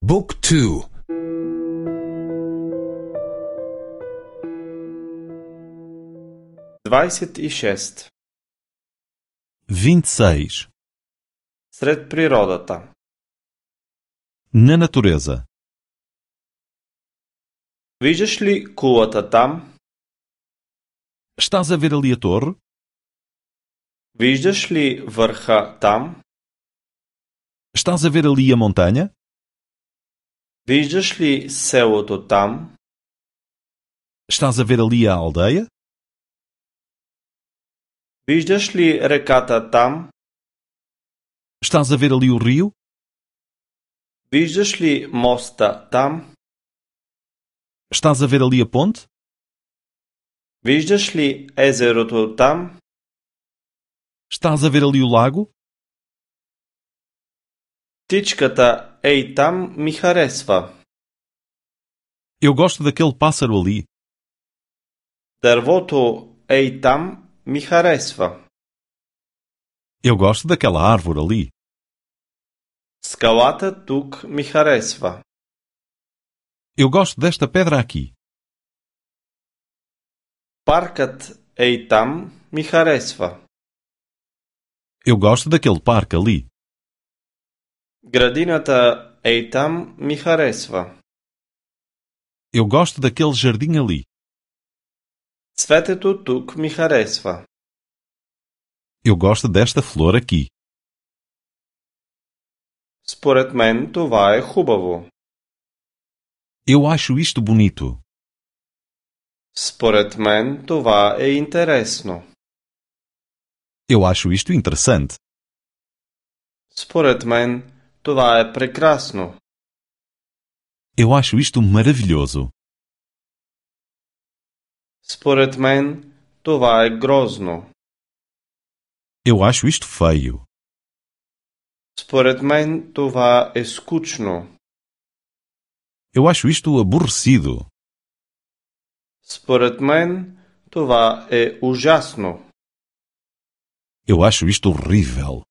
Book 2. 26. 26. Сред природата. Na natureza. Виждаш ли кулата там? Estás a ver ali a torre? Виждаш ли върха там? Estás a ver ali a montanha? Виждаш ли селото там? Estás a ver ali a aldeia? Виждаш ли реката там? Estás a ver ali o rio? Виждаш ли моста там? Estás a ver ali a ponte? Виждаш ли езерото там? Estás a ver ali o lago? Птичката ей там ми харесва. Eu gosto daquele pássaro ali. Дървото ей там ми харесва. Eu gosto daquela árvore ali. Скалата тук ми харесва. Eu gosto desta pedra aqui. Паркът ей там ми харесва. Eu gosto daquele parque ali. Градината ей там ми харесва. Eu gosto daquele jardim ali. Цветето тук ми харесва. Eu gosto desta flor aqui. Според мен това е хубаво. Eu acho isto bonito. Според мен това е интересно. Eu acho isto interessante. Според мен това е прекрасно. Eu acho isto maravilhoso. Според мен това е грозно. Eu acho isto feio. Според мен това е скучно. Eu acho isto aborrecido. Според мен това е ужасно. Eu acho isto horrível.